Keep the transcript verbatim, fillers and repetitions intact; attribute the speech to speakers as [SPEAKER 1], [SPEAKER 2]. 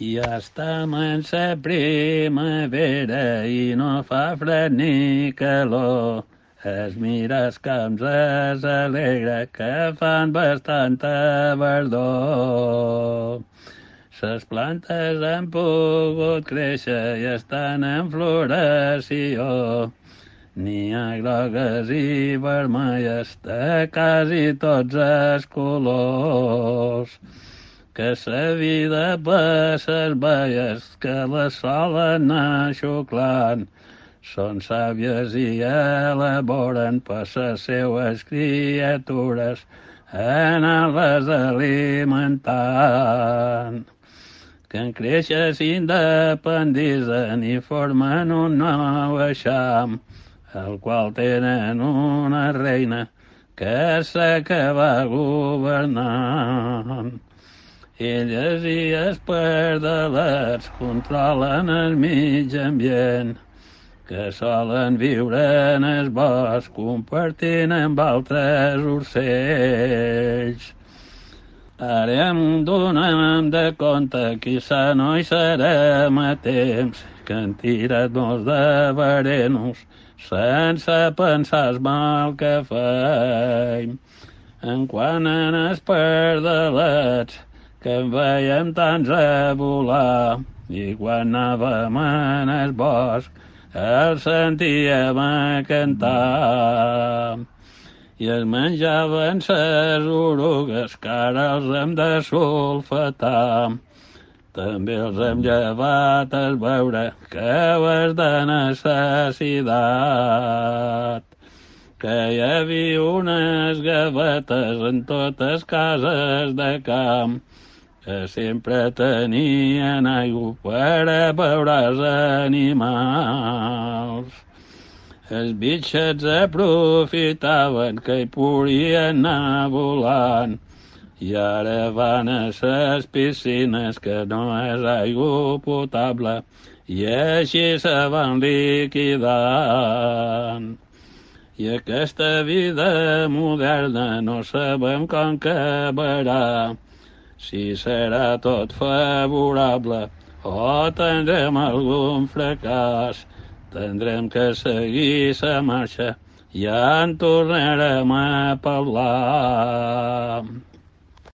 [SPEAKER 1] Ja estem en la primavera i no fa fred ni calor. Es mira els camps, es alegra que fan bastanta verdor. Les plantes han pogut créixer i estan en floració. N'hi ha grogues i vermelles de quasi tots els colors. Que sa vida per ses baies que les solen anar xuclant són sàvies i elaboren per ses seues criatures anar-les alimentant. Que en créixer s'independitzen i formen un nou eixam, el qual tenen una reina que sé que va governant. Elles i els pardalets controlen el mig ambient, que solen viure en el bosc compartint amb altres ocells. Ara em donem de compte que sa no hi serem a temps, que han tirat molts de verenos sense pensar el mal que feim. En quant en els pardalets, que en veiem tants a volar, i quan anàvem en el bosc el sentíem a cantar. I es menjaven ses orugues, que ara els hem de sulfatar. També els hem llevat el beure, que és de necessitat. Que hi havia unes gavetes en totes cases de camp, que sempre tenien aigua per a beure els animals. Els bitxets aprofitaven que hi podien anar volant, i ara van a ses piscines que no és aigua potable, i així se van liquidant. I aquesta vida moderna no sabem com acabarà, si serà tot favorable o tindrem algun fracàs. Tindrem que seguir la marxa i ja en tornarem a parlar.